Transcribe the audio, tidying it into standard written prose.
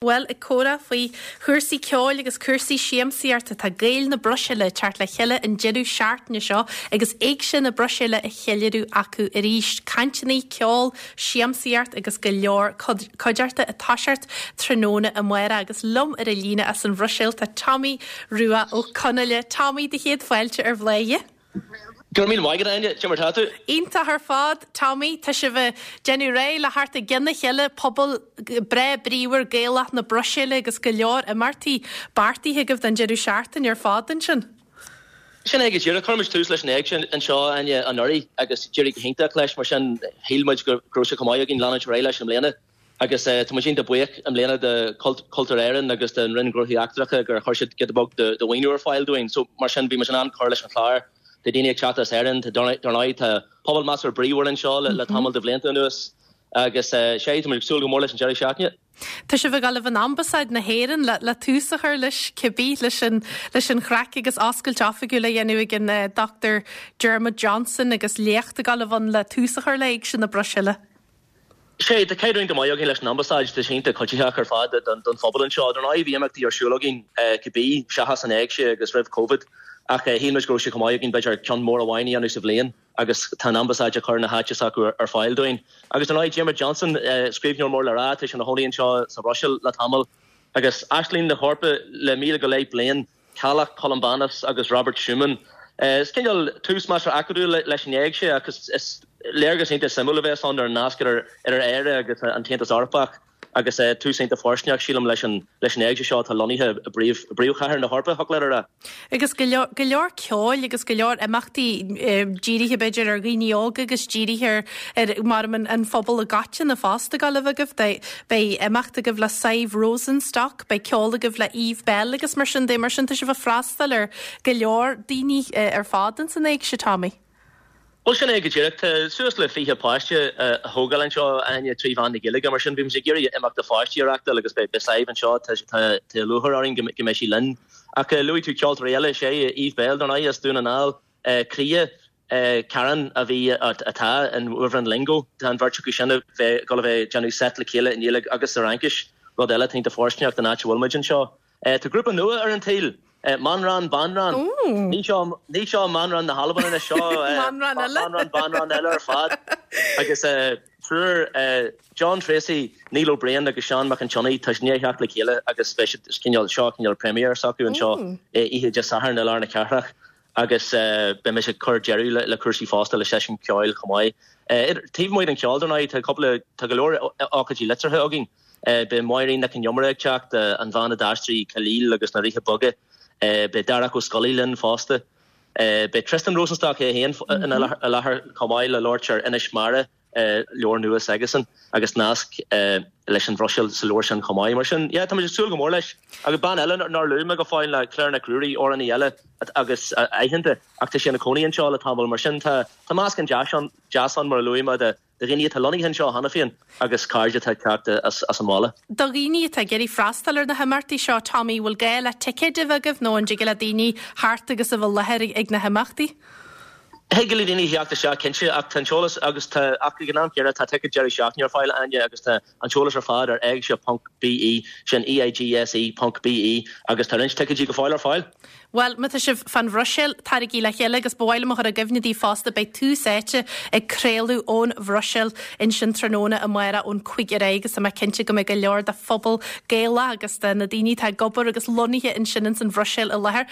Bhuel, ag comhrá faoi chúrsaí ceoil agus cúrsaí siamsaíochta, tá Gaeil na Bruiséile ag teacht le chéile an deireadh seachtaine seo agus Éigse na Bruiséile á cheiliúradh acu arís. Cainteanna, ceol, siamsaíocht agus go leor cuideachta ag toiseacht tráthnóna amárach. Agus liom ar an líne as an Bhruiséil tá Tommy Rua Ó Conghaile. Tommy, do chéad fáilte ar Bhláthnaid. Go raibh míle maith agat, Áine. Cé mar tá tú? Iontach ar fad, Tommy. Tá sibh ag déanamh réidh le theacht i gcionn a chéile, pobal breá bríomhar Gaelach na Bruiséile agus go leor imeachtaí beartaithe agaibh don deireadh seachtaine ar fad ansin. Sin é go díreach. Chuir muid tús leis an éigse anseo, Áine, anuraidh agus d'éirigh go hiontach leis. Mar sin, shíl muid go raibh sé chomh maith againn leanúint ar aghaidh leis i mbliana. Agus tá muid iontach buíoch i mbliana de Chultúr Éireann agus den Roinn Gnóthaí Eachtracha gur chuir siad giota beag de mhaoiniú ar fáil dúinn. So mar sin bhí muid in ann cur leis an chlár. Tá daoine ag teacht as Éirinn, tá dar ndóigh tá pobal measartha bríomhar anseo le tamall de bhlianta anuas agus sea, tá muid ag súil go mór leis an deireadh seachtaine. Tá sibh ag dul in Ambasáid na hÉireann le tús a chur leis cibé, leis an leis an chraic agus oscailt oifigiúil á dhéanamh ag an Dr Dermot Johnson agus léacht ag dul a bheith ann le tús a chur le Éigse na Bruiséile. Sea, tá caidreamh iontach maith againn leis an Ambasáid, tá sé iontach cuiditheach ar fad don phobal anseo. Dar ndóigh, bhí imeachtaí ar siúl againn cibé, seachas an éigse agus roimh Covid, ach shíl muid go raibh sé chomh maith againn b'fhéidir ceann mór amháin a dhéanamh sa bhliain agus tá an Ambasáid ag cur na háite s'acu ar fáil dúinn. Agus dar ndóigh, Diarmuid Johnson, scríbhneoir mór le rá, tá sé ina chónaí anseo sa Bhruiséil le tamall. Agus Aisling na hEorpa le 1000 go leith bliain, Ceallach, Columbanus agus Robert Schuman. Is cineál tús measartha acadúil leis an éigse ach is léargas iontach suimiúil a bheas ann ar an nasc idir Éire agus an tAontas Eorpach agus tús iontach fóirsteanach, sílim, leis an éigse seo atá lonnaithe i bpríomhchathair na hEorpa, thiocfadh leat a rá. Agus go leor, go leor ceoil agus go leor imeachtaí dírithe b'fhéidir ar dhaoine óga agus dírithe ar, ar mar an, an phobal i gcoitinne fosta ag dul a bheith agaibh. Beidh imeacht agaibh le Sadhbh Rosenstock. Beidh ceol agaibh le Eve Belle agus mar sin de. Mar sin tá sibh ag freastal ar go leor daoine ar fad ins an éigse, Tommy. Bhuel, sin é go díreach. Tá suas le 20 páiste á thógáil anseo, Áine, trí mheán na Gaeilge. Mar sin, bhí muid ag iarraidh imeacht do pháistí a reachtáil agus beidh Sadhbh anseo. Tá lúcháir orainn go mbeidh sí linn. Ach luaigh tú ceoltóirí eile, sea, Eve Belle, dar ndóigh, as Dún na nGall, Croidhe, Karen a bhí, atá, in Wyvern Lingo. Tá an bheirt acu sin a bheith, ag dul a bheith ag déanamh seit le chéile i nGaeilge agus sa Fhraincis, rud eile atá iontach fóirsteanach don áit a bhfuil muid anseo. Tá grúpa nua ar an tsaol, Manran Banran. Ní seo, ní seo Manran na hAlban anois, seo Manran eile. Manran Banran eile ar fad. Agus triúr, John Treacy, Neil Ó Briain agus Seán Mac an tSionnaigh, tá siad i ndiaidh theacht le chéile agus beidh siad, cineál, seo cineál premiere s'acu anseo oíche Dé Sathairn i lár na cathrach. agus beidh mise ag cur deireadh le cúrsaí fosta le seisiún ceoil chomh maith. Taobh amuigh den cheol, dar ndóigh, tá cúpla, tá go leor ócáidí liteartha againn. Beidh Máirín Nic Con Iomaire ag teacht, an bhean a d'aistrigh Khalil agus na Ríthe Beaga. Beidh Darach Ó Scolaí linn fosta. Beidh Tristan Rosenstock é féin i láthair chomh maith le labhairt ar Inis Mara. leabhar nua s'aigesan agus nasc leis an Bhruiséil sa leabhar sin chomh maith. Mar sin, yeah, tá muid ag súil go mór leis. Agus bean eile nár luaigh mé go fóill ná Claire Nic Ruairí, amhránaí eile agus aitheanta ach tá sí ina cónaí anseo le tamall. Mar sin, tá tá meascán deas ann, deas ann mar a luaigh mé de dhaoine atá lonnaithe anseo cheana féin agus cairde atá ag teacht as as an mbaile. Do dhaoine atá ag iarraidh freastal ar na himeachtaí seo, Tommy, bhfuil gá le ticéid a bheith agaibh nó an dtig le daoine theacht agus a bheith i láthair ag na himeachtaí? Thig le daoine theacht isteach cinnte ach tá an t-eolas agus tá ach ag an am céanna tá ticéid deireadh seachtaine ar fáil, Áine, agus tá an t-eolas ar fad ar eigse ponc BE, sin EIGSE ponc BE agus tá roinnt ticéidí go fóill ar fáil. Bhuel, má tá sibh fán Bhruiséil, taraigí le chéile agus ba mhaith liom a chur i gcuimhne daoibh fosta beidh Tús Áite ag craoladh ón Bhruiséil ansin tráthnóna amárach ón 5 ar aghaidh agus tá mé cinnte go mbeidh go leor de phobal Gaelach agus de na daoine atá ag obair agus lonnaithe ansin ins an Bhruiséil i láthair.